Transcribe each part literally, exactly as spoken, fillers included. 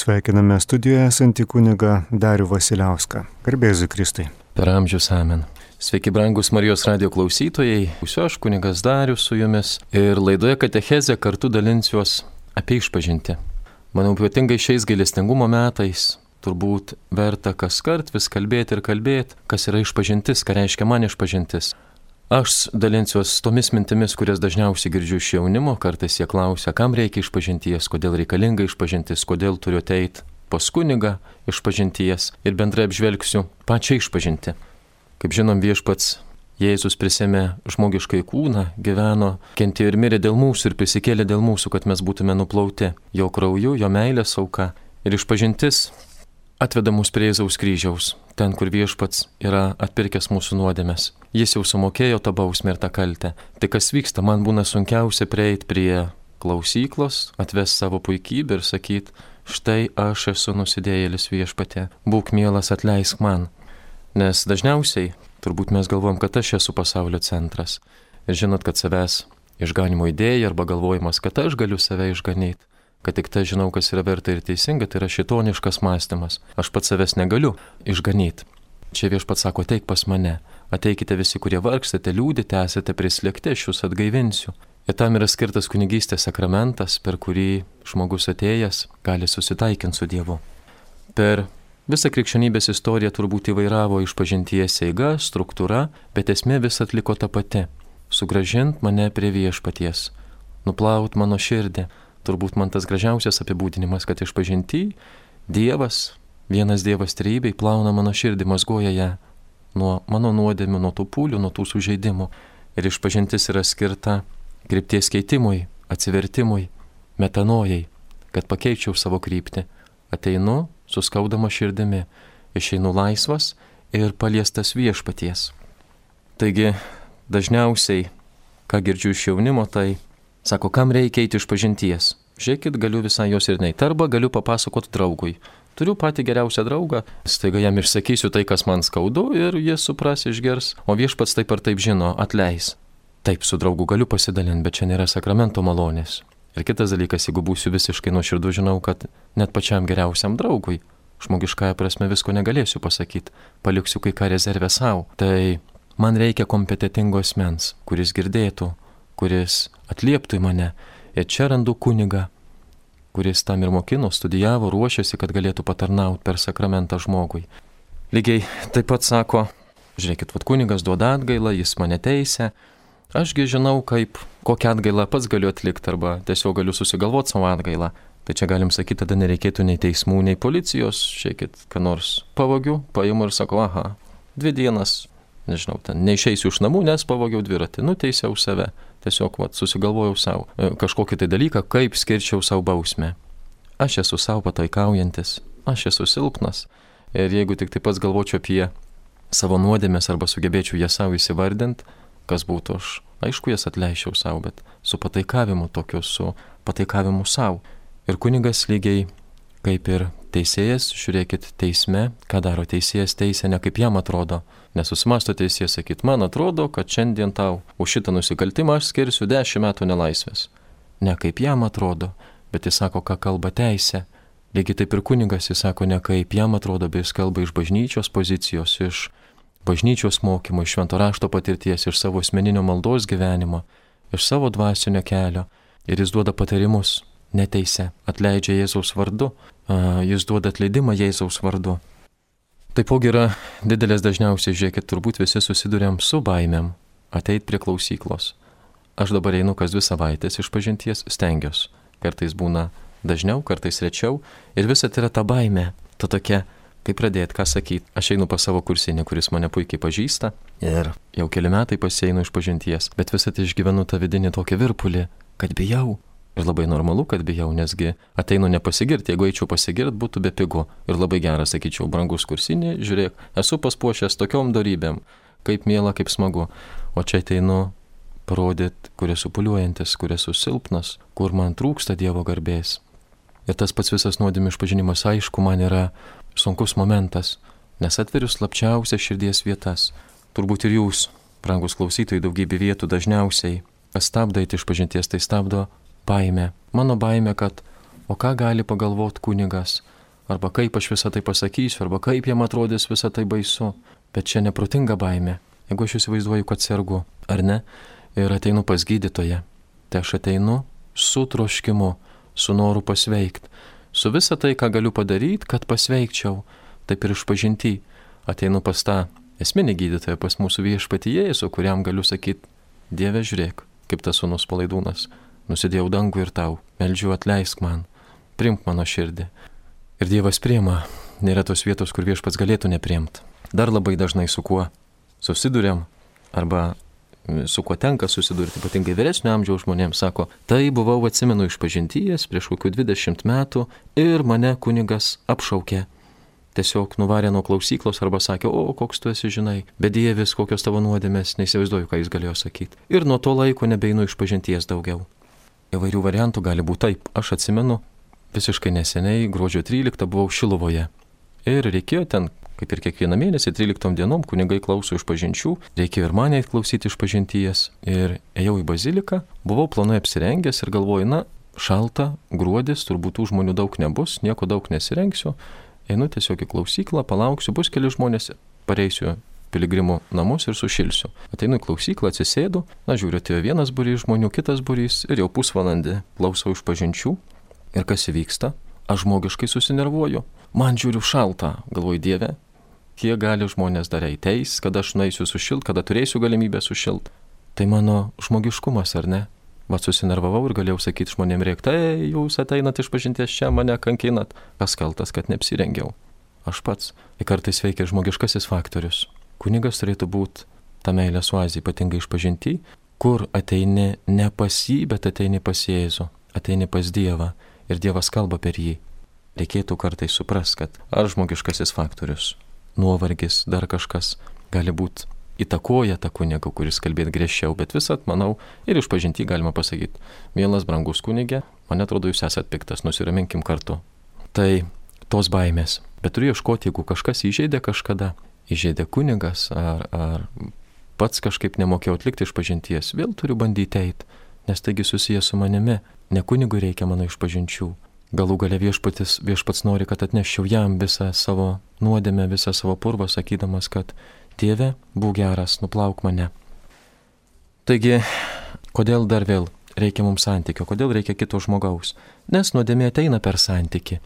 Sveikiname studijoje esantį kunigą Darių Vasiliauską. Garbėsiu Kristui. Per amžius amen. Sveiki, brangus Marijos radijo klausytojai. Būsiu aš, kunigas Darius, su jumis. Ir laidoje Katechezė kartu dalinsiuos apie išpažintį. Manau, ypatingai šiais gailestingumo metais turbūt verta kas kart vis kalbėti ir kalbėti, kas yra išpažintis, ką reiškia man išpažintis. Aš dalinsiuos tomis mintimis, kurias dažniausiai girdžiu iš jaunimo. Kartais jie klausia, kam reikia išpažinties, kodėl reikalinga išpažintis, kodėl turiu ateiti pas kunigą išpažinties, ir bendrai apžvelgsiu pačią išpažintį. Kaip žinom, viešpats Jėzus prisėmė žmogiškai kūną, gyveno, kentėjo ir mirė dėl mūsų ir prisikėlė dėl mūsų, kad mes būtume nuplauti jo krauju, jo meilės auka. Ir išpažintis atveda mus prie Jėzaus kryžiaus, ten, kur viešpats yra atpirkęs mūsų nuodėmes. Jis jau sumokėjo tą bausmę ir tą kaltę. Tai kas vyksta, man būna sunkiausia prieiti prie klausyklos, atvesti savo puikybę ir sakyti, štai aš esu nusidėjėlis viešpatie, būk mielas, atleisk man. Nes dažniausiai turbūt mes galvojam, kad aš esu pasaulio centras. Ir žinot, kad savęs išganimo idėja arba galvojimas, kad aš galiu save išganyti, kad tik tai žinau, kas yra verta ir teisinga, tai yra šitoniškas mąstymas. Aš pats savęs negaliu išganyti. Čia viešpats sako, ateik pas mane. Ateikite visi, kurie vargstate, liūdite, esate prislėgti, aš jūs atgaivinsiu. Ir tam yra skirtas kunigystės sakramentas, per kurį žmogus atėjęs gali susitaikinti su Dievu. Per visą krikščionybės istoriją turbūt įvairavo išpažinties eiga, struktūra, bet esmė vis atliko ta pati. Sugrąžint mane prie viešpaties, nuplaut mano širdį. Turbūt man tas gražiausias apibūdinimas, kad išpažinty Dievas, vienas Dievas trejybėj, plauna mano širdį, mazgoja ją nuo mano nuodėmių, nuo tų pūlių, nuo tų sužeidimų. Ir išpažintis yra skirta krypties keitimui, atsivertimui, metanojai, kad pakeičiau savo kryptį. Ateinu su skaudama širdimi, išeinu laisvas ir paliestas viešpaties. Taigi, dažniausiai, ką girdžiu iš jaunimo, tai sako, kam reikia eiti išpažinties? Žiūrėkit, galiu visai jos ir neiti, arba galiu papasakoti draugui. Turiu patį geriausią draugą, staiga jam išsakysiu tai, kas man skaudu, ir jis supras, išgers, o viešpats taip ar taip žino, atleis. Taip, su draugu galiu pasidalinti, bet čia nėra sakramento malonės. Ir kitas dalykas, jeigu būsiu visiškai nuoširdus, žinau, kad net pačiam geriausiam draugui, žmogiškąja prasme, visko negalėsiu pasakyti, paliksiu kai ką rezervę savo. Tai man reikia kompetentingo asmens, kuris girdėtų, kuris atlieptų į mane. Ir čia randu kunigą, kuris tam ir mokino, studijavo, ruošėsi, kad galėtų patarnauti per sakramentą žmogui. Lygiai taip pat sako, žiūrėkit, vat kunigas duoda atgailą, jis mane teisia, ašgi žinau, kaip, kokią atgailą pats galiu atlikti, arba tiesiog galiu susigalvoti savo atgailą. Tai čia galim sakyti, tada nereikėtų nei teismų, nei policijos, žiūrėkit, ką nors pavogiu, paimu ir sako, aha, dvi dienas, nežinau, ten neišeisiu iš namų, nes pavogiau dviratį, nuteisiau save. Tiesiog vat, susigalvojau savo kažkokį tai dalyką, kaip skirčiau savo bausmę. Aš esu savo pataikaujantis, aš esu silpnas. Ir jeigu tik taip pats galvočiau apie savo nuodėmės arba sugebėčiau jas savo įsivardinti, kas būtų aš, aišku, jas atleičiau savo, bet su pataikavimu tokiu, su pataikavimu savo. Ir kunigas lygiai kaip ir teisėjas, žiūrėkit, teisme, ką daro teisėjas, teisė ne kaip jam atrodo. Nesusimasto teisėjas sakyti, man atrodo, kad šiandien tau už šitą nusikaltimą aš skirsiu dešimt metų nelaisvės. Ne kaip jam atrodo, bet jis sako, ką kalba teisė. Lygiai taip ir kunigas jis sako, ne kaip jam atrodo, bet jis kalba iš bažnyčios pozicijos, iš bažnyčios mokymo, iš švento rašto patirties, iš savo asmeninio maldos gyvenimo, iš savo dvasinio kelio. Ir jis duoda patarimus, neteisė, atleidžia Jėzaus vardu, jis duoda atleidimą Jėzaus vardu. Taipogi yra didelės dažniausiai, žiūrėkit, turbūt visi susiduriam su baimėm ateit prie klausyklos. Aš dabar einu kas dvi savaitės išpažinties, stengiuosi. Kartais būna dažniau, kartais rečiau. Ir visa tai yra ta baimė, ta tokia, kaip pradėti, ką sakyti. Aš einu pas savo kursinį, kuris mane puikiai pažįsta. Ir jau keli metai pasieinu išpažinties. Bet visą tai išgyvenu tą vidinį tokį virpulį, kad bijau. Ir labai normalu, kad bijau, nesgi ateinu nepasigirti, jeigu eičiau pasigirti, būtų be pigu. Ir labai geras, sakyčiau, brangus kursinį, žiūrėk, esu paspuošęs tokiom dorybėm, kaip miela, kaip smagu. O čia ateinu parodyti, kur esu puliuojantis, kur esu silpnas, kur man trūksta Dievo garbės. Ir tas pats visas nuodėmių išpažinimas, aišku, man yra sunkus momentas, nes atveriu slapčiausias širdies vietas. Turbūt ir jūs, brangus klausytojai, daugybė vietų dažniausiai, kas stabdo eiti išpažinties, tai stabdo baimė. Mano baimė, kad o ką gali pagalvoti kunigas, arba kaip aš visą tai pasakysiu, arba kaip jam atrodys visą tai baisu. Bet čia neprotinga baimė. Jeigu aš įsivaizduoju, kad sergu, ar ne, ir ateinu pas gydytoją, tai aš ateinu su troškimu, su noru pasveikti, su visą tai, ką galiu padaryti, kad pasveikčiau. Taip ir išpažinti ateinu pas tą esminį gydytoją, pas mūsų viešpatį Jėzų, kuriam galiu sakyti, Dieve, žiūrėk, kaip tas sūnus Palaidūnas, nusidėjau dangų ir tau, meldžiu, atleisk man, priimk mano širdį. Ir Dievas priima, nėra tos vietos, kur viešpats galėtų nepriimti. Dar labai dažnai su kuo susiduriam, arba su kuo tenka susidurti, ypatingai vyresnio amžiaus žmonėms, sako, tai buvau, atsimenu, išpažinties prieš kokių dvidešimt metų ir mane kunigas apšaukė. Tiesiog nuvarė nuo klausyklos arba sakė, o koks tu esi, žinai, bedievis, kokios tavo nuodėmės, neįsivaizduoju, ką jis galėjo sakyti. Ir nuo to laiko nebeinu išpažinties daugiau. Įvairių variantų gali būti taip. Aš atsimenu, visiškai neseniai, gruodžio tryliktą buvau Šiluvoje. Ir reikėjo ten, kaip ir kiekvieną mėnesį, tryliktom dienom, kunigai klauso išpažinčių, reikėjo ir mane klausyti išpažinties. Ir ėjau į baziliką, buvau planai apsirengęs ir galvoju, na, šalta, gruodis, turbūt tų žmonių daug nebus, nieko daug nesirengsiu. Einu tiesiog į klausyklą, palauksiu, bus keli žmonės, pareisiu piligrimų namus ir sušilsiu. Ateinu į klausyklą, atsisėdu, na žiūriu, atėjo vienas būrys žmonių, kitas būrys ir jau pusvalandį klausau išpažinčių. Ir kas įvyksta? Aš žmogiškai susinervuoju. Man žiūriu šalta, galvoju, Dieve, kiek gali žmonės dar eiteis, kada aš nueisiu sušilt, kada turėsiu galimybę sušilt. Tai mano žmogiškumas, ar ne? Vat susinervavau ir galėjau sakyti žmonėm rėkti, ei, jūs ateinat išpažinties čia, mane kankinat. Kas kaltas, kad neapsirengiau? Aš pats. Ir kartais veikia žmogiškasis faktorius. Kunigas turėtų būti ta meilės oazė, ypatingai išpažinti, kur ateini ne pas jį, bet ateini pas Jėzų, ateini pas Dievą ir Dievas kalba per jį. Reikėtų kartais suprast, kad ar žmogiškasis faktorius, nuovargis, dar kažkas gali būti įtakoja tą kunigą, kuris kalbėt griežčiau, bet visat, manau, ir išpažinti galima pasakyti, mielas brangus kunigė, man atrodo, jūs esat piktas, nusiraminkim kartu. Tai tos baimės. Bet turiu ieškoti, jeigu kažkas įžeidė kažkada, įžeidė kunigas, ar, ar pats kažkaip nemokėjau atlikti išpažinties, vėl turiu bandyti eiti, nes taigi susijęs su manimi, ne kunigui reikia mano išpažinčių. Galų gale viešpatis, viešpats nori, kad atneščiau jam visą savo nuodėmę, visą savo purvą, sakydamas, kad Dieve, būk geras, nuplauk mane. Taigi, kodėl dar vėl reikia mums santykio, kodėl reikia kito žmogaus? Nes nuodėmė ateina per santykį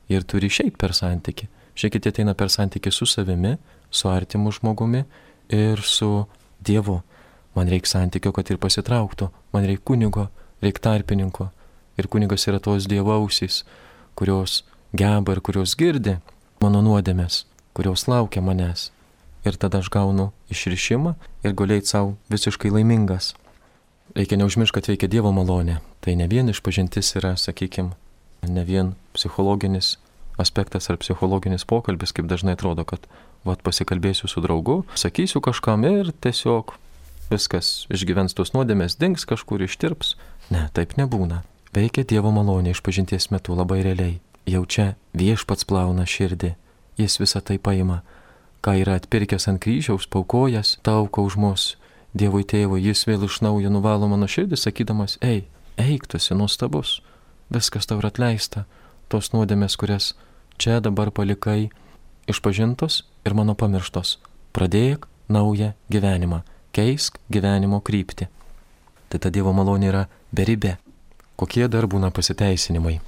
ir turi išeiti per santykį. Žiūrėkit, ateina per santykį su savimi, su artimu žmogumi ir su Dievu. Man reikia santykio, kad ir pasitrauktų, man reikia kunigo, reikia tarpininko. Ir kunigas yra tos Dievo ausys, kurios geba ir kurios girdi mano nuodėmės, kurios laukia manęs. Ir tada aš gaunu išrišimą ir gulėjai savo visiškai laimingas. Reikia neužmiršti, kad veikia Dievo malonė. Tai ne vien išpažintis yra, sakykime, ne vien psichologinis aspektas ar psichologinis pokalbis, kaip dažnai atrodo, kad vat pasikalbėsiu su draugu, sakysiu kažkam ir tiesiog viskas išgyvens tos nuodėmės, dings kažkur, ištirps. Ne, taip nebūna. Veikia Dievo malonė išpažinties metu labai realiai. Jau čia viešpats plauna širdį, jis visą tai paima. Ką yra atpirkęs ant kryžiaus, paukojas, tauko už mus, Dievui tėvui, jis vėl iš naujo nuvalo mano širdį, sakydamas, ei, eik, tu esi nuostabus, viskas tau yra atleista, tos nuodėmės, kurias čia dabar palikai, išpažintos ir mano pamirštos. Pradėk naują gyvenimą, keisk gyvenimo kryptį. Tai ta Dievo malonė yra beribė. Kokie dar būna pasiteisinimai,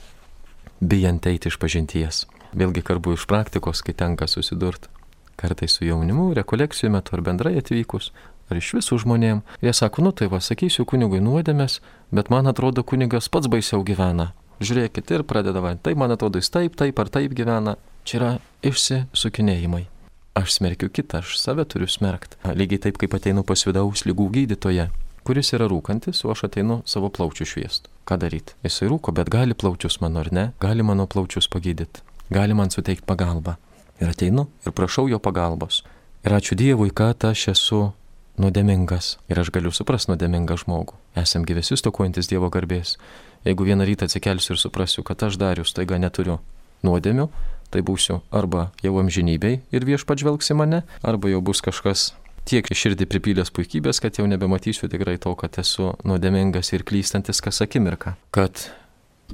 bijant eiti išpažinties. Vėlgi kalbu iš praktikos, kai tenka susidurti. Kartais su jaunimu, rekolekcijų metu ar bendrai atvykus, ar iš visų žmonėm. Jie sako, nu tai va, sakysiu kunigui nuodėmės, bet man atrodo kunigas pats baisiau gyvena. Žiūrėkit ir pradeda va, tai man atrodo jis taip, taip ar taip gyvena. Čia yra išsisukinėjimai. Aš smerkiu kitą, aš save turiu smerkti. Lygiai taip, kaip ateinu pas vidaus ligų gydytoją, kuris yra rūkantis, o aš ateinu savo plaučių šviest. Ką daryti? Jisai rūko, bet gali plaučius mano ar ne, gali mano plaučius pagydyti, gali man suteikti pagalbą. Ir ateinu ir prašau jo pagalbos. Ir ačiū Dievui, kad aš esu nuodėmingas. Ir aš galiu suprasti nuodėmingą žmogų. Esam gyvesi stokojantis Dievo garbės. Jeigu vieną rytą atsikelsiu ir suprasiu, kad aš Darius taiga neturiu nuodėmių, tai būsiu arba jau amžinybei ir viešpats žvelgs į mane, arba jau bus kažkas tiek širdį pripylęs puikybės, kad jau nebematysiu tikrai to, kad esu nuodėmingas ir klystantis kas akimirką. Kad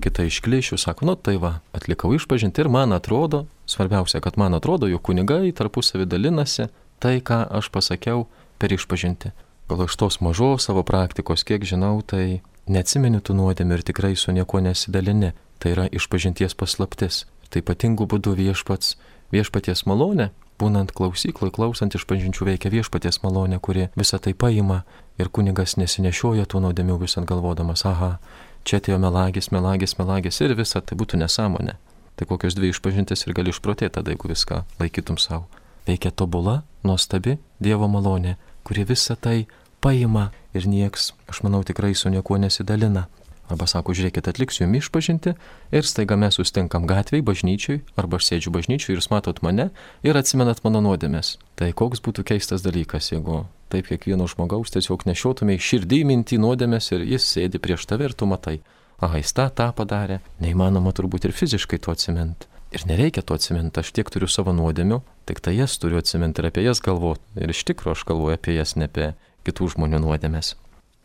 kita iš klišių sako, nu tai va, atlikau išpažinti ir man atrodo, svarbiausia, kad man atrodo, jog kunigai tarpusavį dalinasi tai, ką aš pasakiau per išpažinti. Gal iš tos mažos savo praktikos, kiek žinau, tai neatsimeni tų nuodėmių ir tikrai su niekuo nesidalini. Tai yra išpažinties paslaptis. Tai ypatingų būdų viešpats, viešpaties malonė, būnant klausykloj, klausant išpažinčių veikia viešpaties malonė, kuri visą tai paima ir kunigas nesinešioja tų nuodėmių visat galvodamas, aha, čia atėjo melagis, melagis, melagis ir visa tai būtų nesąmonė. Tai kokios dvi išpažintis ir gali išprotėti tada, jeigu viską laikytum savo. Veikia tobula, nuostabi Dievo malonė, kuri visą tai paima ir nieks, aš manau, tikrai su niekuo nesidalina. Arba sako, žiūrėkit, atliksiu jums išpažinti ir staiga mes sustinkam gatvėj, bažnyčiui, arba aš sėdžiu bažnyčiui ir jūs matot mane ir atsimenat mano nuodėmes. Tai koks būtų keistas dalykas, jeigu taip kiekvieno žmogaus tiesiog nešiotumai širdį mintį nuodėmes ir jis sėdi prieš tave ir tu matai. Aha, jis tą, tą padarė. Neįmanoma turbūt ir fiziškai to atsiminti. Ir nereikia to atsiminti, aš tiek turiu savo nuodėmių, tik tai jas turiu atsiminti ir apie jas galvoti. Ir iš tikrųjų aš galvoju apie jas, ne apie kitų žmonių nuodėmes.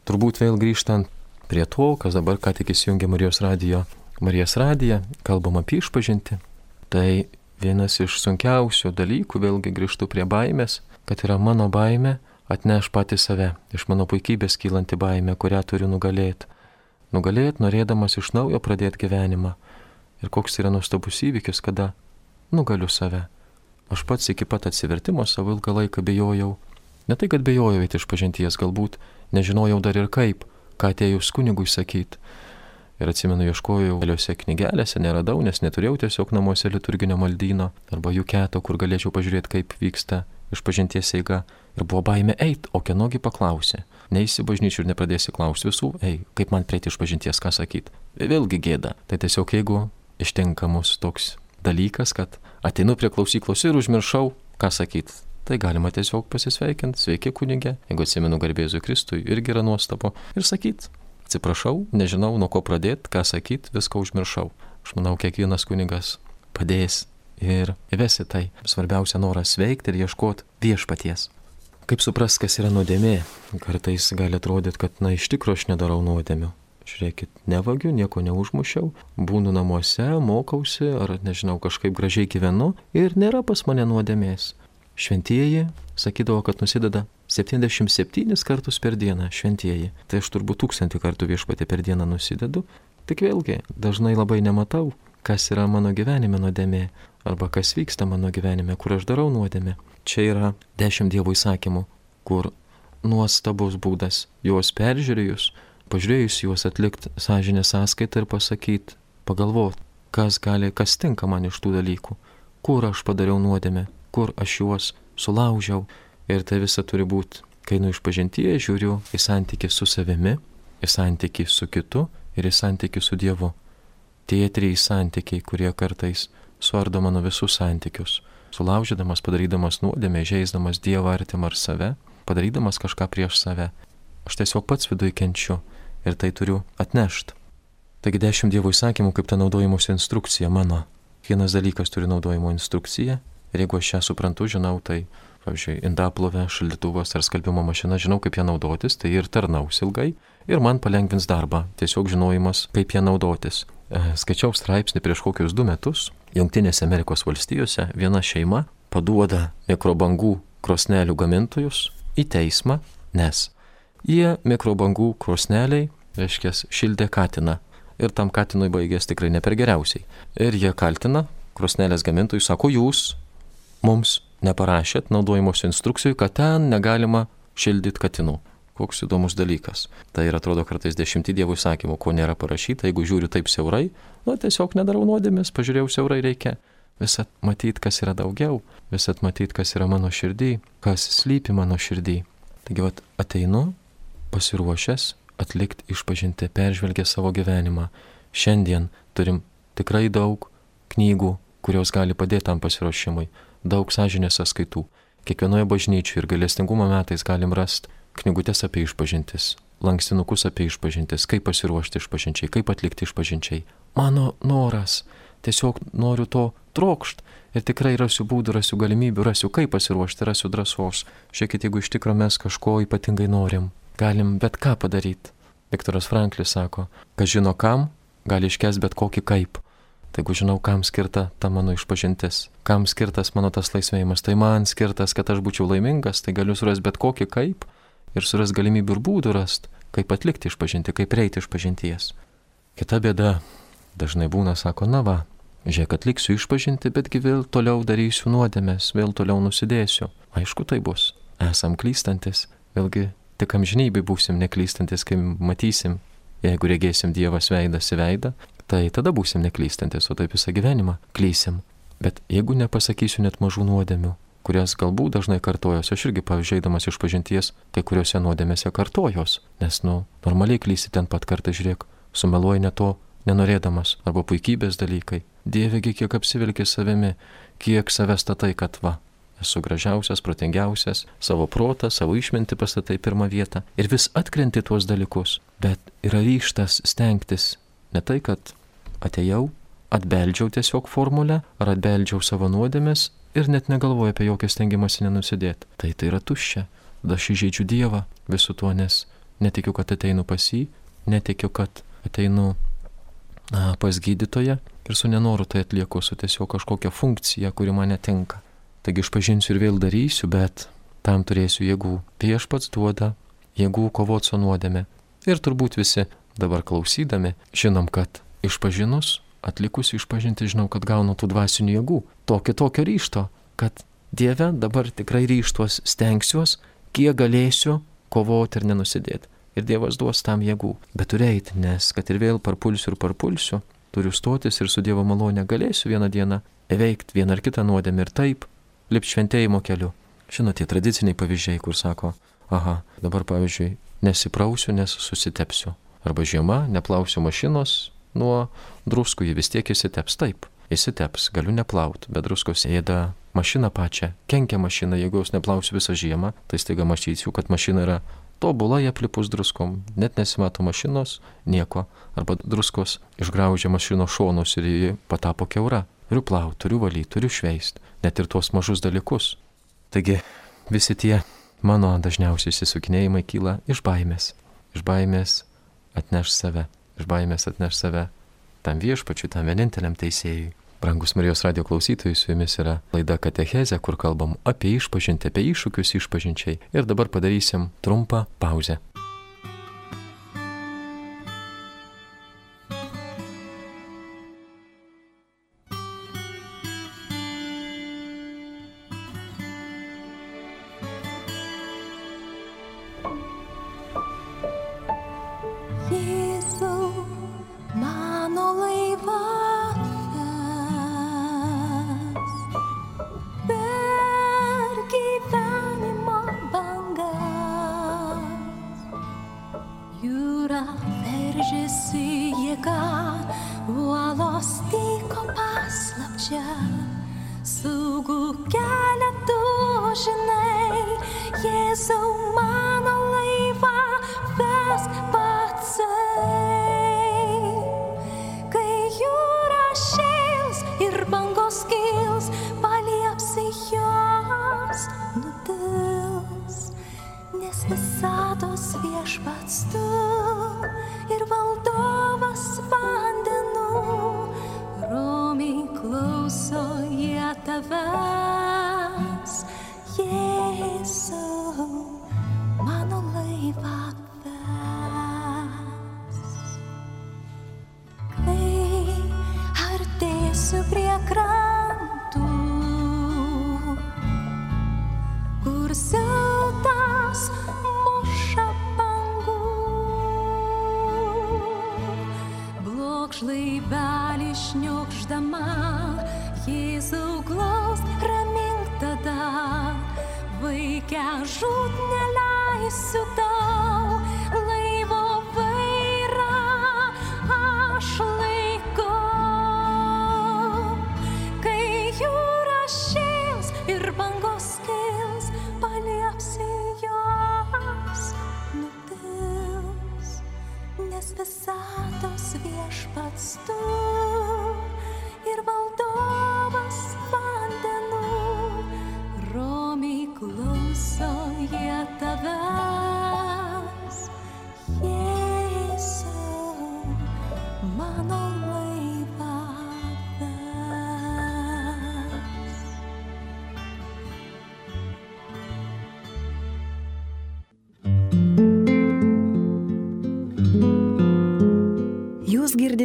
Turbūt vėl grįžtant prie to, kas dabar ką tik įsijungė Marijos radijo, Marijos radiją, kalbam apie išpažinti. Tai vienas iš sunkiausių dalykų, vėlgi grįžtu prie baimės, kad yra mano baimė atneš pati save, iš mano puikybės kylanti baimė, kurią turiu nugalėti. Nugalėti, norėdamas iš naujo pradėti gyvenimą. Ir koks yra nuostabus įvykis, kada nugaliu save. Aš pats iki pat atsivertimo savo ilgą laiką bijojau. Ne tai, kad bijojau eiti išpažinties, galbūt nežinojau dar ir kaip, ką atėjus kunigui sakyti. Ir atsimenu, ieškojau keliose knygelėse, neradau, nes neturėjau tiesiog namuose liturginio maldyno arba jų keto, kur galėčiau pažiūrėti, kaip vyksta išpažinties eiga. Ir buvo baimė eit, o kienogi paklausė. Neįsi bažnyčių ir nepradėsi klausti visų, ei, kaip man prieiti išpažinties, ką sakyti. Vėlgi gėda. Tai tiesiog jeigu ištinka mus toks dalykas, kad ateinu prie klausyklos ir užmiršau, ką sakyti. Tai galima tiesiog pasisveikinti, sveiki kunigė, jeigu atsimenu garbėzui Kristui, irgi yra nuostabu. Ir sakyti, atsiprašau, nežinau, nuo ko pradėti, ką sakyti, viską užmiršau. Aš manau, kiekvienas kunigas padės ir įvesi tai. Svarbiausia noras veikti ir ieškoti viešpaties. Kaip supras, kas yra nuodėmė? Kartais gali atrodyti, kad, na, iš tikrųjų aš nedarau nuodėmių. Žiūrėkit, nevagiu, nieko neužmušiau, būnu namuose, mokausi, ar, nežinau, kažkaip gražiai gyvenu ir nėra pas mane nuodėmės. Šventieji sakydavo, kad nusideda septyniasdešimt septynis kartus per dieną šventieji. Tai aš turbūt tūkstantį kartų viešpatį per dieną nusidedu. Tik vėlgi, dažnai labai nematau, kas yra mano gyvenime nuodėmė, arba kas vyksta mano gyvenime, kur aš darau nuodėmę. Čia yra dešimt Dievo įsakymų, kur nuostabus būdas juos peržiūrėjus, pažiūrėjus juos atlikti sąžinės sąskaitą ir pasakyti, pagalvoti, kas gali, kas tinka man iš tų dalykų, kur aš padariau nuodėmę, kur aš juos sulaužiau. Ir tai visa turi būti, kai nu išpažintyje žiūriu į santykį su savimi, į santykį su kitu ir į santykį su Dievu. Tie trys santykiai, kurie kartais suardo mano visus santykius, sulaužydamas, padarydamas nuodėmę, žeisdamas Dievą, artimą ar save, padarydamas kažką prieš save. Aš tiesiog pats viduj kenčiu ir tai turiu atnešti. Taigi dešimt Dievo įsakymų kaip ta naudojimosi instrukcija mano. Vienas dalykas turi naudojimo instrukciją. Ir jeigu aš ją suprantu, žinau, tai, pavyzdžiui, indaplovė, šaldytuvas ar skalbimo mašina, žinau, kaip ją naudotis, tai ir tarnaus ilgai ir man palengvins darbą, tiesiog žinojimas, kaip ją naudotis. Skaičiau straipsnį prieš kokius du metus, Jungtinėse Amerikos valstijose viena šeima paduoda mikrobangų krosnelių gamintojus į teismą, nes jie mikrobangų krosneliai, reiškia, šildė katiną ir tam katinui baigės tikrai ne per geriausiai. Ir jie kaltina krosnelės gamintojų, sako, jūs mums neparašėt naudojimos instrukcijų, kad ten negalima šildyti katinų. Koks įdomus dalykas. Tai ir atrodo kartais dešimtį Dievo įsakymų, ko nėra parašyta, jeigu žiūriu taip siaurai, nu tiesiog nedarau nuodėmės, pažiūrėjau siaurai reikia. Visat matyti, kas yra daugiau, visat matyti, kas yra mano širdį, kas slypi mano širdį. Taigi vat ateinu, pasiruošęs atlikti išpažinti, peržvelgę savo gyvenimą. Šiandien turim tikrai daug knygų, kurios gali padėti tam pasiruošimui. Daug sąžinės sąskaitų. Kiekvienoje bažnyčioje ir gailestingumo metais galim rasti knygutes apie išpažintis, lankstinukus apie išpažintis, kaip pasiruošti išpažinčiai, kaip atlikti išpažinčiai. Mano noras, tiesiog noriu to trokšt ir tikrai rasiu būdų, rasiu galimybių, rasiu kaip pasiruošti, rasiu drąsos. Žiūrėkit, jeigu iš tikro mes kažko ypatingai norim, galim bet ką padaryti. Viktoras Franklis sako, kas žino kam, gali iškęsti bet kokį kaip. Tai jeigu žinau, kam skirta ta mano išpažintis, kam skirtas mano tas laisvėjimas, tai man skirtas, kad aš būčiau laimingas, tai galiu surasti bet kokį kaip ir surasti galimybių ir būdų rasti, kaip atlikti išpažinti, kaip reiti išpažinties. Kita bėda dažnai būna, sako, na va, žiūrėk, atliksiu išpažinti, betgi vėl toliau darysiu nuodėmes, vėl toliau nusidėsiu. Aišku, tai bus. Esam klystantis, vėlgi tik amžinybėj būsim neklystantis, kai matysim, jeigu regėsim Dievas veidas į veidą, tai tada būsim neklystantis, o taip visą gyvenimą klysim. Bet jeigu nepasakysiu net mažų nuodėmių, kurias galbūt dažnai kartojos, aš irgi pavyzdžiaidamas išpažinties, kai kuriuose nuodėmėse kartojos, nes, nu, normaliai klysi ten pat kartą, žiūrėk, sumeluoji ne to, nenorėdamas, arba puikybės dalykai. Dievegi, kiek apsivilki savimi, kiek save statai, kad va, esu gražiausias, protingiausias, savo protą, savo išmintį pastatai pirmą vietą ir vis atkrenti tuos dalykus. Bet yra ryžtas stengtis ne tai, kad atėjau, atbeldžiau tiesiog formulę, ar atbeldžiau savo nuodėmes ir net negalvoju apie jokią stengimąsi nenusidėti. Tai tai yra tuščia. Tada aš įžeidžiu Dievą visu tuo, nes netikiu, kad ateinu pas jį, netikiu, kad ateinu na, pas gydytoją ir su nenoru tai atlieku, su tiesiog kažkokia funkcija, kuri man netinka. Taigi išpažinsiu ir vėl darysiu, bet tam turėsiu jėgų. Viešpats duoda jėgų kovoti su nuodėme. Ir turbūt visi dabar klausydami žinom, kad išpažinus, atlikus išpažinti, žinau, kad gaunu tų dvasinių jėgų. Tokio tokio ryžto, kad Dieve dabar tikrai ryžtuos, stengsiuos, kiek galėsiu kovoti ir nenusidėti. Ir Dievas duos tam jėgų. Bet turiu eiti, nes kad ir vėl parpulsiu ir parpulsiu, turiu stotis ir su Dievo malone galėsiu vieną dieną įveikti vieną ar kitą nuodėmę ir taip lipti šventėjimo keliu. Žinote, tie tradiciniai pavyzdžiai, kur sako, aha, dabar pavyzdžiui, nesiprausiu, nes susitepsiu. Arba žiema, neplausiu mašinos nuo druskų, jį vis tiek įsiteps. Taip, įsiteps, galiu neplauti, bet druskos ėda mašiną pačią, kenkia mašiną, jeigu jos neplausiu visą žiemą, tai staiga matysiu, kad mašina yra tobulai aplipus druskom, net nesimato mašinos, nieko, arba druskos išgraužia mašinos šonus ir ji patapo kiaura. Turiu plauti, turiu valyti, turiu šveisti, net ir tuos mažus dalykus. Taigi visi tie mano dažniausiai įsisukinėjimai kyla iš baimės. Iš baimės atneš save, iš baimės atneš save tam viešpačiui, tam vieninteliam teisėjui. Brangus Marijos radijo klausytojai, su jumis yra laida Katechezė, kur kalbam apie išpažintį, apie iššūkius išpažinčiai. Ir dabar padarysim trumpą pauzę. Žlaibelį šniokšdama, Jėzau glaust, ramink tada, vaikę žūt neleisiu tau, laivo vairą aš laikau. Kai jūra šėls ir bangos kils, paliepsi jos nutils, nes visatos viešpats tu ir valdovas vandenų, romiai klauso jie tavęs.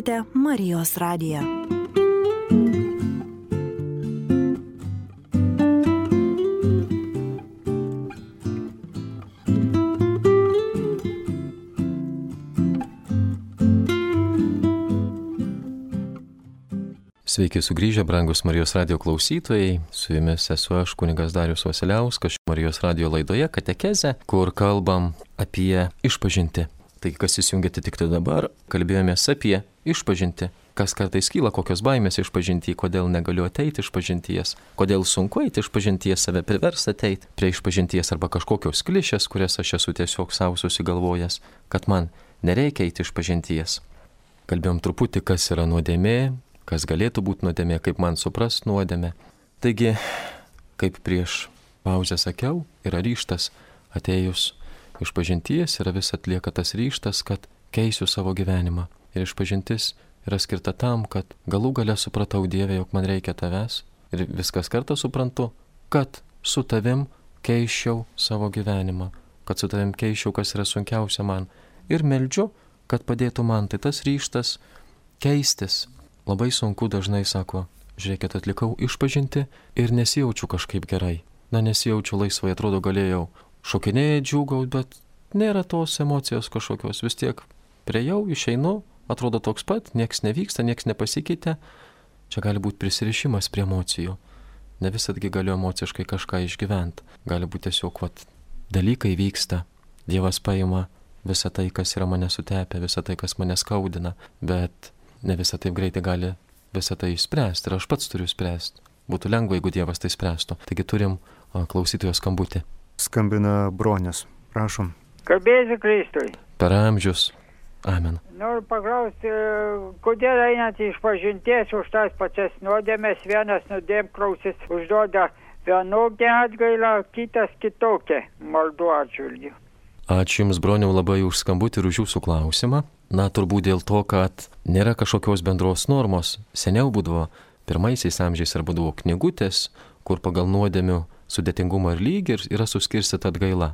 girdite Marijos radiją. Sveiki sugrįžę, brangus Marijos radijo klausytojai. Su jumis esu aš, kunigas Darius Vasiliauskas, Marijos radijo laidoje Katechezė, kur kalbam apie išpažintį. Tai kas įsijungėte tik tai dabar, kalbėjomės apie išpažintį. Kas kartais kyla, kokios baimės išpažinti, kodėl negaliu ateiti išpažinties, kodėl sunku eiti išpažinties, save priversti ateiti prie išpažinties arba kažkokios klišės, kurias aš esu tiesiog savo susigalvojęs, kad man nereikia eiti išpažinties. Kalbėjom truputį, kas yra nuodėmė, kas galėtų būti nuodėmė, kaip man suprast nuodėmę. Taigi, kaip prieš pauzę sakiau, yra ryžtas atėjus išpažinties, yra vis atlieka tas ryžtas, kad keisiu savo gyvenimą. Ir išpažintis yra skirta tam, kad galų gale supratau Dieve, jog man reikia tavęs. Ir viskas kartą suprantu, kad su tavim keiščiau savo gyvenimą, kad su tavim keiščiau, kas yra sunkiausia man. Ir meldžiu, kad padėtų man. Tai tas ryžtas keistis. Labai sunku dažnai sako, žiūrėkit, atlikau išpažinti ir nesijaučiu kažkaip gerai. Na, nesijaučiu laisvai, atrodo galėjau šokinėti, džiūgauti, bet nėra tos emocijos kažkokios. Vis tiek priejau, išeinu, atrodo toks pat, nieks nevyksta, nieks nepasikeitė. Čia gali būti prisirišimas prie emocijų. Ne visatgi galiu emociškai kažką išgyventi. Gali būti tiesiog, vat, dalykai vyksta. Dievas paima visą tai, kas yra mane sutepę, visą tai, kas mane skaudina, bet ne visą taip greitai gali visą tai išspręsti ir aš pats turiu spręsti. Būtų lengva, jeigu Dievas tai spręstų. Taigi turim klausytojos skambutį. Skambina Bronius. Prašom. Garbėsiu Kristui. Per amžius. Amen. Noriu paklausti, kodėl einant iš pažinties už tas pačias nuodėmės, vienas nuodėmklausis užduoda vienokią atgailą, kitas kitokią maldų atžvilgių. Ačiū Jums, Broniau, labai už skambutį ir už Jūsų klausimą. Na, turbūt dėl to, kad nėra kažkokios bendros normos. Seniau būdavo, pirmaisiais amžiais ar būdavo knygutės, kur pagal nuodėmių sudėtingumą ir lygį yra suskirstyta atgaila.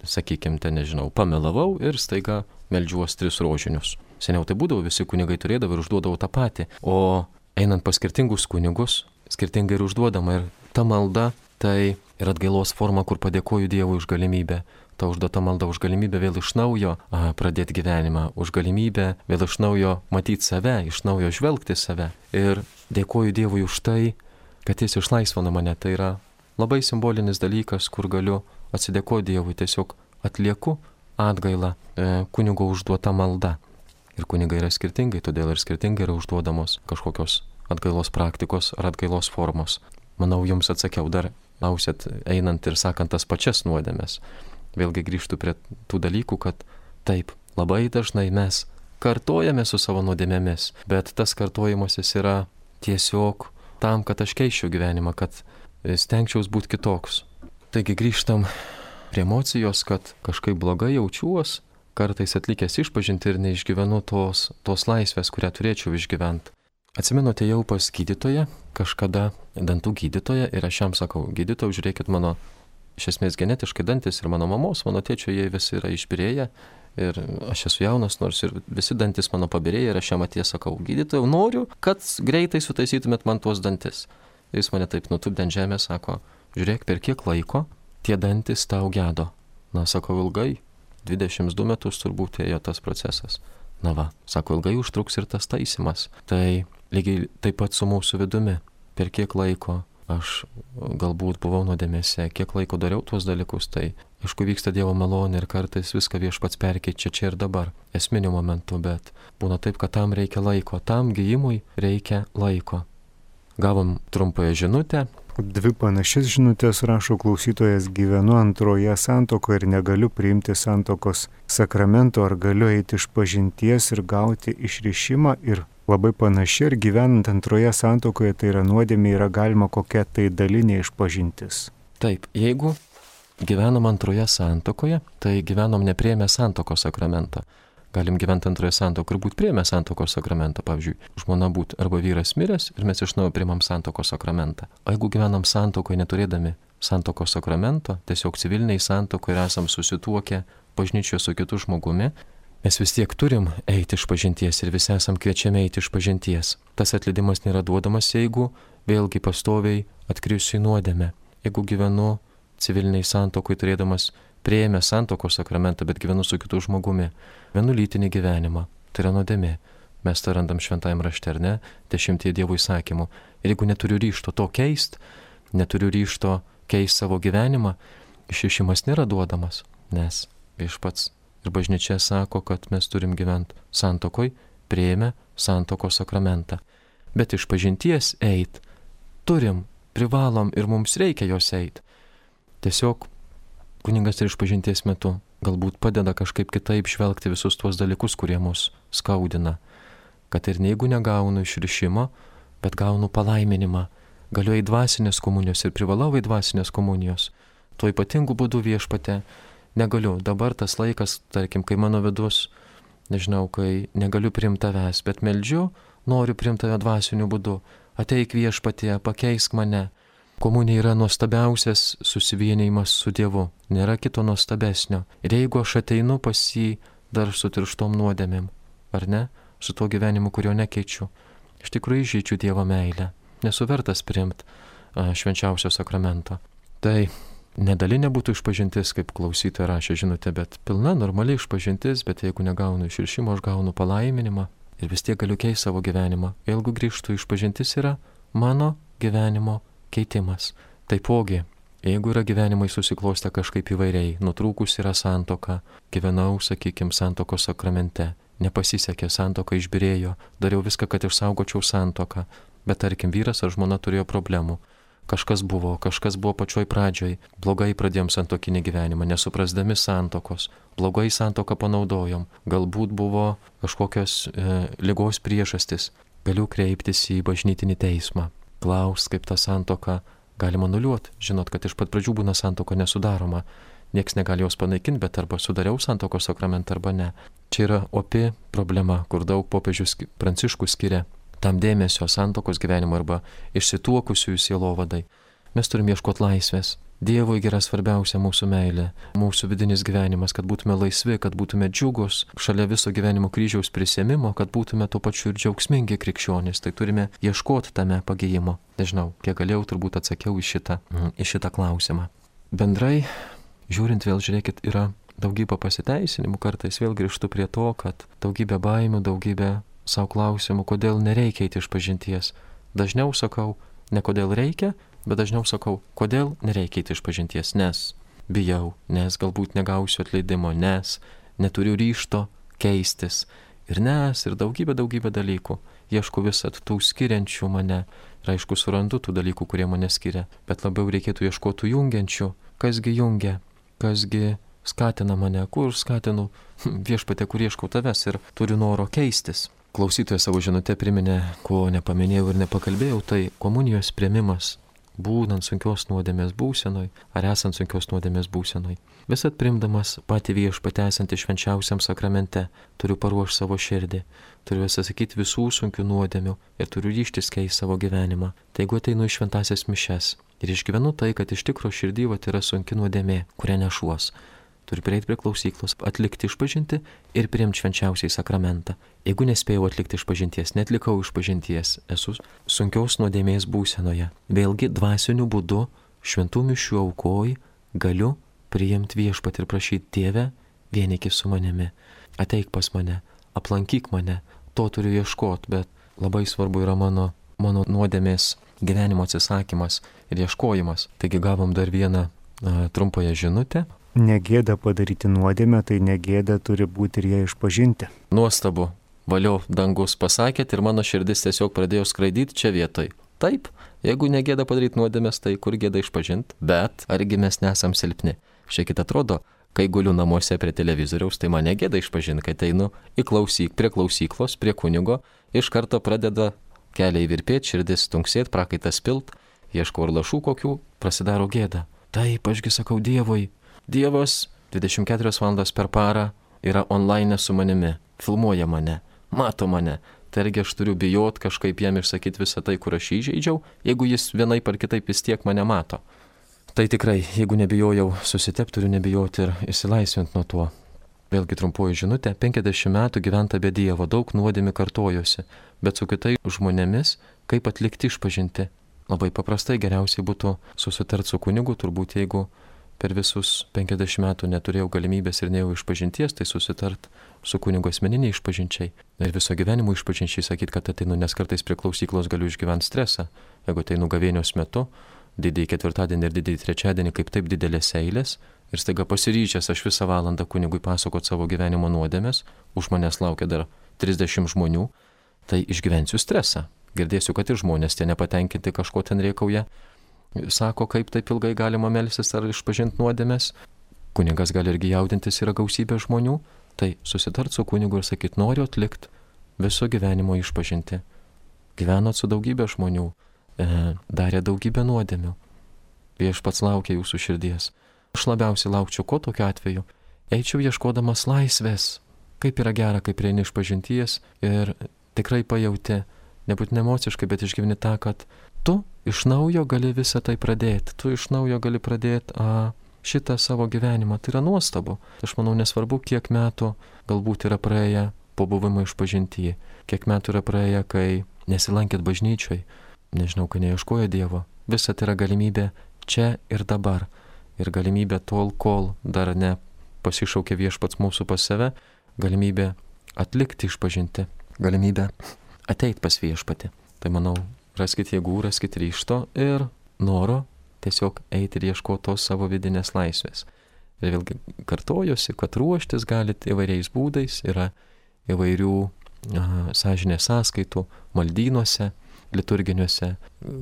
Sakykime, ten, nežinau, pamelavau ir staiga meldžiuos tris rožinius. Seniau tai būdavo, visi kunigai turėdavo ir užduodavo tą patį. O einant pas skirtingus kunigus, skirtingai ir užduodama. Ir ta malda tai yra atgailos forma, kur padėkoju Dievui už galimybę. Ta užduota malda už galimybę vėl iš naujo a, pradėti gyvenimą, už galimybę vėl iš naujo matyti save, iš naujo žvelgti save. Ir dėkoju Dievui už tai, kad Jis išlaisvino mane. Tai yra labai simbolinis dalykas, kur galiu atsidėkoti Dievui, tiesiog atlieku atgailą e, kunigo užduota malda. Ir kunigai yra skirtingai, todėl ir skirtingai yra užduodamos kažkokios atgailos praktikos ar atgailos formos. Manau, Jums atsakiau, dar klausėt einant ir sakant tas pačias nuodėmes. Vėlgi grįžtu prie tų dalykų, kad taip, labai dažnai mes kartojame su savo nuodėmėmis, bet tas kartojimasis yra tiesiog tam, kad aš keisčiau gyvenimą, kad stengčiaus būti kitoks. Taigi grįžtam prie emocijos, kad kažkaip blogai jaučiuos, kartais atlikęs išpažinti ir neišgyvenu tos, tos laisvės, kurią turėčiau išgyventi. Atsimenu, atėjau pas gydytoją, kažkada dantų gydytoją ir aš jam sakau, gydytojau, žiūrėkit, mano iš esmės genetiškai dantis ir mano mamos, mano tėčio, jie visi yra išbyrėję ir aš esu jaunas, nors ir visi dantis mano pabirėję ir aš jam atėjęs sakau, gydytojau, noriu, kad greitai sutaisytumėt man tuos dantis. Jis mane taip nutupdė ant žemės, sako, žiūrėk, per kiek laiko tie dantis tau gedo. Na, sakau, ilgai, dvidešimt du metus turbūt ėjo tas procesas. Na va, sako, ilgai užtruks ir tas taisymas. Tai lygiai taip pat su mūsų vidumi, per kiek laiko aš galbūt buvau nuodėmėse, kiek laiko dariau tuos dalykus, tai aišku vyksta Dievo malonė ir kartais viską Viešpats perkeičia čia ir dabar, esminiu momentu, bet būna taip, kad tam reikia laiko, tam gijimui reikia laiko. Gavom trumpąją žinutę. Dvi panašias žinutės rašo klausytojas, gyvenu antroje santuokoje ir negaliu priimti santuokos sakramento, ar galiu eiti iš pažinties ir gauti išrišimą ir labai panaši, ir gyvenant antroje santuokoje, tai yra nuodėmė, yra galima kokia tai dalinė išpažintis. Taip, jeigu gyvenam antroje santuokoje, tai gyvenom nepriėmę santuokos sakramento. Galim gyventi antroje santuokoje ir būti priėmę santuokos sakramentą. Pavyzdžiui, žmona būti arba vyras miręs ir mes iš naujo priimam santuokos sakramentą. O jeigu gyvenam santuokoje neturėdami santuokos sakramento, tiesiog civiliniai santuokoje ir esam susituokę bažnyčioje su kitu žmogumi, Mes vis tiek turim eiti iš pažinties ir visi esam kviečiami eiti iš pažinties. Tas atleidimas nėra duodamas, jeigu vėlgi pastoviai atkrisiu į nuodėmę. Jeigu gyvenu civiliniai santokui turėdamas prieėmę santokos sakramentą, bet gyvenu su kitu žmogumi, vienu lytinį gyvenimą, tai yra nuodėmė. Mes tą randam šventajame rašte, ar ne, dešimtie Dievo įsakymų. Ir jeigu neturiu ryžto to keist, neturiu ryžto keist savo gyvenimą, išrišimas nėra duodamas, nes Viešpats ir bažnyčia sako, kad mes turim gyventi santokoj, prieėmę santokos sakramentą. Bet iš pažinties eit turim, privalom ir mums reikia jos eit. Tiesiog kunigas ir iš pažinties metu galbūt padeda kažkaip kitaip žvelgti visus tuos dalykus, kurie mus skaudina. Kad ir jeigu negaunu išrišimo, bet gaunu palaiminimą, galiu į dvasinės komunijos ir privalau į dvasinės komunijos. Tuo ypatingu būdu Viešpate negaliu. Dabar tas laikas, tarkim, kai mano vidus, nežinau, kai negaliu priimti tavęs, bet meldžiu, noriu priimti tave dvasiniu būdu. Ateik Viešpatie, pakeisk mane. Komunija yra nuostabiausias susivienijimas su Dievu. Nėra kito nuostabesnio. Ir jeigu aš ateinu pas jį dar su tirštom nuodėmėm, ar ne, su tuo gyvenimu, kurio nekeičiu, iš tikrųjų įžeidžiu Dievo meilę. Nesu vertas priimti švenčiausio sakramento. Tai nedalinė būtų išpažintis, kaip klausytoja rašė žinutė, bet pilna normali išpažintis, bet jeigu negaunu išrišimo, aš gaunu palaiminimą ir vis tiek galiu keisti savo gyvenimą. Jeigu grįžtų išpažintis, yra mano gyvenimo keitimas. Taipogi, jeigu yra gyvenimai susiklostę kažkaip įvairiai, nutrūkus yra santoka, gyvenau, sakykime, santokos sakramente, nepasisekė, santoka išbyrėjo, dariau viską, kad išsaugočiau santoką, bet tarkim vyras ar žmona turėjo problemų. Kažkas buvo, kažkas buvo pačioj pradžioj, blogai pradėjom santokinį gyvenimą, nesuprasdami santokos, blogai santoką panaudojom, galbūt buvo kažkokios e, ligos priežastis, galiu kreiptis į bažnytinį teismą, klaus, kaip tą santoką galima nuliuoti, žinot, kad iš pat pradžių būna santoka nesudaroma, nieks negali jos panaikinti, bet arba sudariau santokos sakramentą arba ne. Čia yra opi problema, kur daug popiežius Pranciškus skiria tam dėmesio santokos gyvenimo arba išsituokusiųjų sielovadai. Mes turim ieškoti laisvės. Dievui yra svarbiausia mūsų meilė, mūsų vidinis gyvenimas, kad būtume laisvi, kad būtume džiugus šalia viso gyvenimo kryžiaus prisiėmimo, kad būtume tuo pačiu ir džiaugsmingi krikščionys. Tai turime ieškoti tame pagijimo. Nežinau, kiek galėjau, turbūt atsakiau į šitą, į šitą klausimą. Bendrai, žiūrint vėl, žiūrėkit, yra daugybė pasiteisinimų, kartais vėl grįžtu prie to, kad daugybė baimių, daugybė savo klausimų, kodėl nereikia eiti iš pažinties. Dažniau sakau, ne kodėl reikia, bet dažniau sakau, kodėl nereikia eiti iš pažinties, nes bijau, nes galbūt negausiu atleidimo, nes neturiu ryžto keistis. Ir nes, ir daugybė, daugybė dalykų. Ieškau visat tų skiriančių mane. Ir aišku, surandu tų dalykų, kurie mane skiria. Bet labiau reikėtų ieškoti jungiančių. Kasgi jungia, kasgi skatina mane, kur skatinu Viešpatie, kur ieškau tavęs ir turiu noro keistis. Klausytojas savo žinutę priminė, ko nepaminėjau ir nepakalbėjau, tai komunijos priėmimas, būnant sunkios nuodėmės būsenoj ar esant sunkios nuodėmės būsenoj. Visat priimdamas patį Viešpatį esantį švenčiausiam sakramente, turiu paruošti savo širdį, turiu atsisakyti visų sunkių nuodėmių ir turiu ryžtis keisti savo gyvenimą. Tai jeigu ateinu į šventasias mišes ir išgyvenu tai, kad iš tikro širdį vat yra sunki nuodėmė, kurią nešuos, turiu prieiti prie klausyklos, atlikti išpažinti ir priimti švenčiausiai sakramentą. Jeigu nespėjau atlikti išpažinties, netlikau išpažinties, esu sunkios nuodėmės būsenoje. Vėlgi dvasiniu būdu šventų mišių aukoj galiu priimti Viešpatį ir prašyti: Dieve, vienykis su manimi, ateik pas mane, aplankyk mane. To turiu ieškoti, bet labai svarbu yra mano, mano nuodėmės gyvenimo atsisakymas ir ieškojimas. Taigi gavom dar vieną a, trumpąją žinutę. Negėda padaryti nuodėmę, tai negėda turi būti ir ją išpažinti. Nuostabu. Valio dangus pasakėt ir mano širdis tiesiog pradėjo skraidyti čia vietoj. Taip, jeigu negėda padaryti nuodėmės, tai kur gėda išpažinti? Bet argi mes nesam silpni? Šiek atrodo, kai guliu namuose prie televizoriaus, tai man negėda išpažinti, kai einu į klausyk, prie klausyklos, prie kunigo, iš karto pradeda keliai virpėti, širdis tunksėti, prakaitas pilt, ieškau ir lašų kokių, prasidaro gėda. Taip, ašgi sakau Dievui. Dievas dvidešimt keturias valandas per parą yra online su manimi, filmuoja mane, mato mane. Tai argi aš turiu bijot kažkaip jam išsakyti visą tai, kur aš įžeidžiau, jeigu jis vienaip ar kitaip vis tiek mane mato. Tai tikrai, jeigu nebijojau susitepti, turiu nebijoti ir išsilaisvinti nuo to. Vėlgi trumpoji žinutė, penkiasdešimt metų gyventa be Dievo, daug nuodėmių kartojosi, bet su kitais žmonėmis, kaip atlikti išpažinti. Labai paprastai geriausiai būtų susitarti su kunigu, turbūt jeigu per visus penkiasdešimt metų neturėjau galimybės ir nejau išpažinties, tai susitart su kunigo asmeniniai išpažinčiai. Ir viso gyvenimo išpažinčiai sakyti, kad ateinu, nes kartais prie klausyklos galiu išgyventi stresą. Jeigu ateinu gavėnios metu, didįjį ketvirtadienį ir didįjį trečiadienį, kaip taip didelės eilės, ir staiga pasiryčęs aš visą valandą kunigui pasakot savo gyvenimo nuodėmes, už manęs laukia dar trisdešimt žmonių, tai išgyvensiu stresą. Girdėsiu, kad ir žmonės tie nepatenkinti kažko ten reikauja, sako, kaip taip ilgai galima melstis ar išpažinti nuodėmes. Kunigas gali irgi jaudintis, yra gausybė žmonių, tai susitart su kunigu ir sakyt, noriu atlikti viso gyvenimo išpažinti. Gyvenot su daugybė žmonių, e, darė daugybę nuodėmių. Viešpats laukia jūsų širdies. Aš labiausiai laukčiau, ko tokiu atveju. Eičiau ieškodamas laisvės. Kaip yra gera, kai prieini išpažinties ir tikrai pajauti, nebūtinai emociškai, bet išgyveni tą, kad tu iš naujo gali visą tai pradėti. Tu iš naujo gali pradėti a, šitą savo gyvenimą. Tai yra nuostabu. Aš manau, nesvarbu, kiek metų galbūt yra praėję po buvimo išpažintyje. Kiek metų yra praėję, kai nesilankėt bažnyčioj. Nežinau, kai neieškojo Dievo. Visa tai yra galimybė čia ir dabar. Ir galimybė tol, kol dar ne pasišaukė viešpats mūsų pas save, galimybė atlikti išpažinti. Galimybė ateit pas viešpatį. Tai manau, raskit jėgų, raskit ryžto ir noro tiesiog eiti ir ieškoti tos savo vidinės laisvės. Ir vėlgi kartojuosi, kad ruoštis galite įvairiais būdais, yra įvairių a, sąžinės sąskaitų maldynuose, liturginiuose,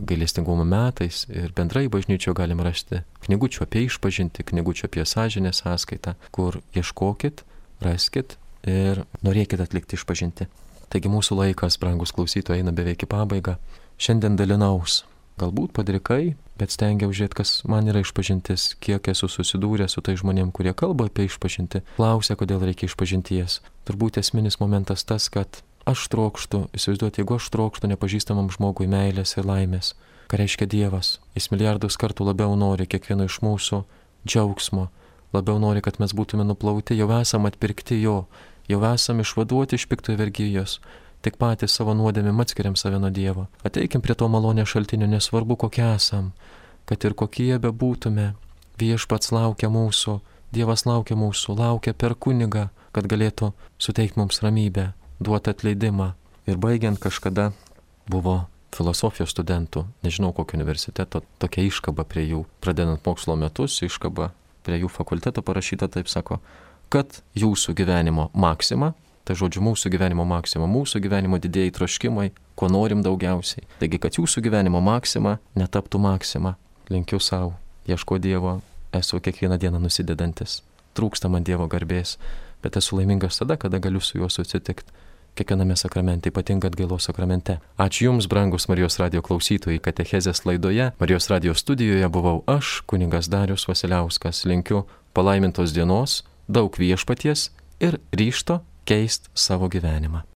gailestingumo metais ir bendrai bažnyčio galim rasti knygučių apie išpažinti, knygučių apie sąžinės sąskaitą, kur ieškokit, raskit ir norėkit atlikti išpažinti. Taigi mūsų laikas, brangus klausytojai, eina beveik į pabaigą. Šiandien dalinaus, galbūt padrikai, bet stengiau žiūrėti, kas man yra išpažintis, kiek esu susidūręs su tai žmonėm, kurie kalba apie išpažinti, klausia, kodėl reikia išpažinties. Turbūt esminis momentas tas, kad aš trokštu, įsivaizduoti, jeigu aš trokštu nepažįstamam žmogui meilės ir laimės, ką reiškia Dievas, jis milijardus kartų labiau nori kiekvieno iš mūsų džiaugsmo, labiau nori, kad mes būtume nuplauti, jau esam atpirkti jo, jau esam išvaduoti iš piktojo vergyjos, tik patys savo nuodėmėm atskiriam save nuo Dievo. Ateikim prie to malonės šaltinio, nesvarbu kokie esam, kad ir kokie bebūtume, viešpats laukia mūsų, Dievas laukia mūsų, laukia per kunigą, kad galėtų suteikti mums ramybę, duoti atleidimą. Ir baigiant kažkada buvo filosofijos studentų, nežinau kokio universiteto, tokia iškaba prie jų, pradedant mokslo metus, iškaba prie jų fakulteto parašyta, taip sako, kad jūsų gyvenimo maksima, tai žodžiu mūsų gyvenimo maksima, mūsų gyvenimo didėjai troškimai, ko norim daugiausiai. Taigi, kad jūsų gyvenimo maksima netaptų maksima. Linkiu savo, ieško Dievo, esu kiekvieną dieną nusidedantis. Trūksta man Dievo garbės, bet esu laimingas tada, kada galiu su juo susitikti. Kiekviename sakramente, ypatingai atgailos sakramente. Ačiū Jums, brangus Marijos radijo klausytojai, katechezės laidoje. Marijos radijo studijoje buvau aš, kunigas Darius Vasiliauskas. Linkiu palaimintos dienos, daug viešpaties ir ryžto keist savo gyvenimą.